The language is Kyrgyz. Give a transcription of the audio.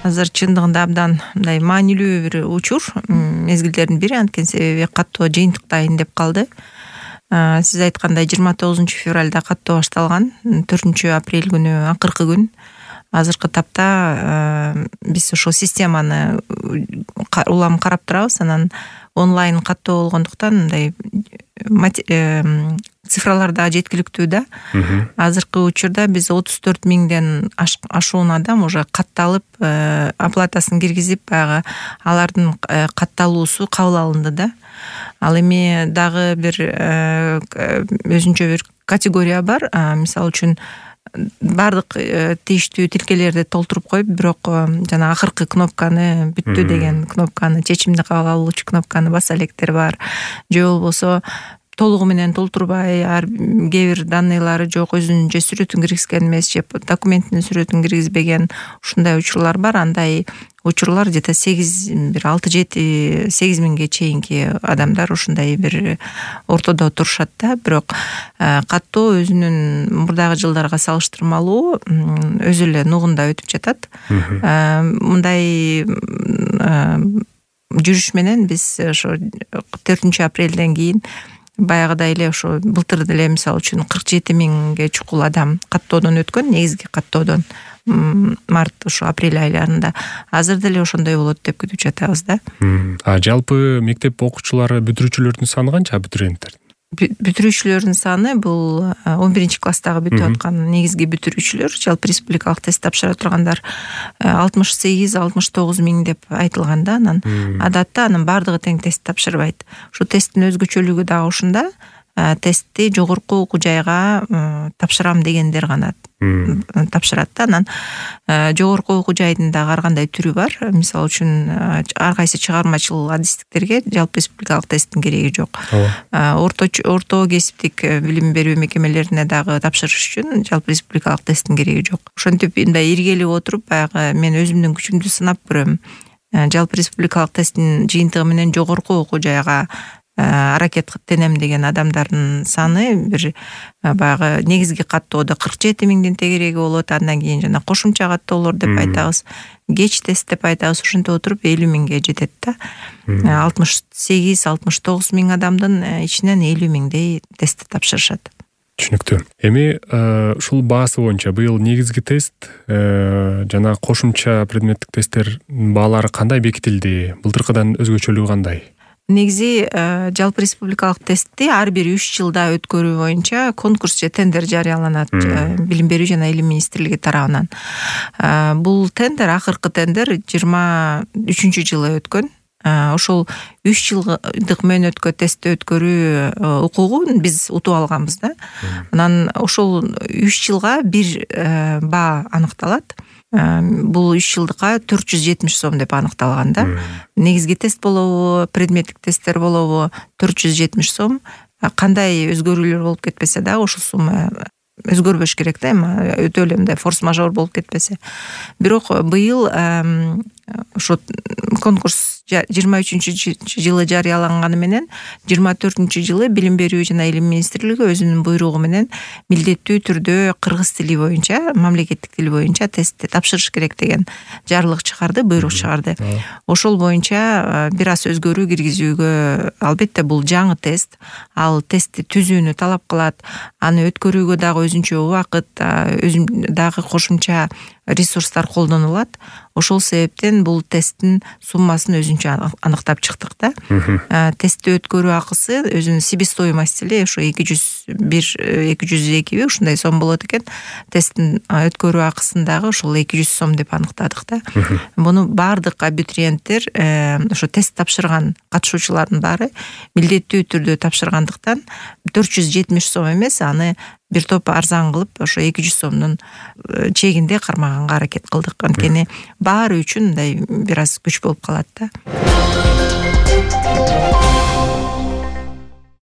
азыр чындыгында абдан мындай маанилүү бир учур, мезгилдердин бири, анткени себеби каттоо жыйынтыктайын деп калды. Сиз айткандай 29-февралда каттоо башталган, 4-апрель күнү акыркы күн. Азыркы тапта биз ошол системаны улам карап турабыз. Анан онлайн каттоо болгондуктан мындай цифраларда жеткиликтүү да. Азыркы учурда биз 34 миңден ашуун адам уже катталып, оплатасын киргизип, баягы алардын катталуусу кабыл алынды да. Ал эми дагы бир өзүнчө бир категория бар. Мисалы үчүн бардык тийиштүү тилкелерди толтуруп коюп, бирок жана акыркы кнопканы, бүттү деген кнопканы, чечимди кабыл алуучу кнопканы баса электер бар. Же болбосо толугу менен толтурбай, кээ бир данныйлары жок, өзүнүн же сүрөтүн киргизген эмес, же документинин сүрөтүн киргизбеген, ушундай учурлар бар. Андай учурлар где-то 6-7-8 миңге чейинки адамдар ушундай бир ортодо турушат да. Бирок каттоо өзүнүн мурдагы жылдарга салыштырмалуу өзү эле нугунда өтүп жатат. Мындай жүрүш менен биз ошо 4-апрелден кийин баягыдай эле ошо былтыр деле мисалы үчүн 47 миңге чукул адам каттоодон өткөн, негизги каттоодон март, ошо апрель айларында. Азыр деле ошондой болот деп күтүп жатабыз да. Жалпы мектеп окуучулары, бүтүрүүчүлөрдүн саны канча, абитуриенттер? Бүтүрүүчүлөрдүн саны бул 11-класстагы бүтүп аткан негизги бүтүрүүчүлөр, жалпы республикалык тест тапшыра тургандар 68-69 миң деп айтылган да. Анан адатта анын бардыгы тең тест тапшырбайт. Ушул тесттин өзгөчөлүгү дагы ушунда. Тестти жогорку окуу жайга тапшырам дегендер гана тапшырат да. Анан жогорку окуу жайдын дагы ар кандай түрү бар. Мисалы үчүн ар кайсы чыгармачыл адистиктерге жалпы республикалык тесттин кереги жок. Орто кесиптик билим берүү мекемелерине дагы тапшырыш үчүн жалпы республикалык тесттин кереги жок. Ошентип мындай иргелип отуруп, баягы мен өзүмдүн күчүмдү сынап көрөм. Жалпы республикалык тесттин жыйынтыгы менен жогорку окуу жайга аракеттенем деген адамдардын саны бир баягы негизги каттоодо 47 миңдин тегереги болот. Андан кийин жана кошумча каттоолор деп айтабыз, кеч тест деп айтабыз. Ушинтип отуруп 50 миңге жетет да. 68-69 миң адамдын ичинен 50 миңдей тестти тапшырышат. Түшүнүктүү. Эми ушул баасы боюнча быйыл негизги тест жана кошумча предметтик тесттер баалары кандай бекитилди? Былтыркыдан өзгөчөлүгү кандай? Негизи жалпы республикалык тестти ар бир 3 жылда өткөрүү боюнча конкурс же тендер жарыяланат Билим берүү жана илим министрлиги тарабынан. Бул тендер, акыркы тендер 23-жылы өткөн. Ошол 3 жылдык мөөнөткө тестти өткөрүү укугун биз утуп алганбыз да. Анан ошол 3 жылга бир баа аныкталат. Бул 3 жылдыкка 470 сом деп аныкталган да. Негизги тест болобу, предметтик тесттер болобу 470 сом. Кандай өзгөрүүлөр болуп кетпесе да, ошол сумма өзгөрбөш керек да, эми өтө эле мындай форс-мажор болуп кетпесе. Бирок быйыл ошо конкурс 23-жылы жарыяланганы менен 24-жылы Билим берүү жана илим министрлиги өзүнүн буйругу менен милдеттүү түрдө кыргыз тили боюнча, мамлекеттик тил боюнча тестти тапшырыш керек деген жарлык чыгарды, буйрук чыгарды. Ошол боюнча бир аз өзгөрүү киргизүүгө, албетте бул жаңы тест, ал тестти түзүүнү талап кылат. Аны өткөрүүгө дагы өзүнчө убакыт, дагы кошумча ресурстар колдонулат. Ошол себептен бул тесттин суммасын өзүнчө аныктап чыктык да. Тестти өткөрүү акысы өзүнүн себестоимости эле ошо 202 ушундай сом болот экен. Тесттин өткөрүү акысын дагы ошол 200 сом деп аныктадык да. Муну бардык абитуриенттер, ошо тест тапшырган катышуучулардын баары милдеттүү түрдө тапшыргандыктан 470 сом эмес, аны бир топ арзан кылып, ошо 200 сомдун чегинде кармаганга аракет кылдык. Анткени баары үчүн мындай бир аз күч болуп калат да.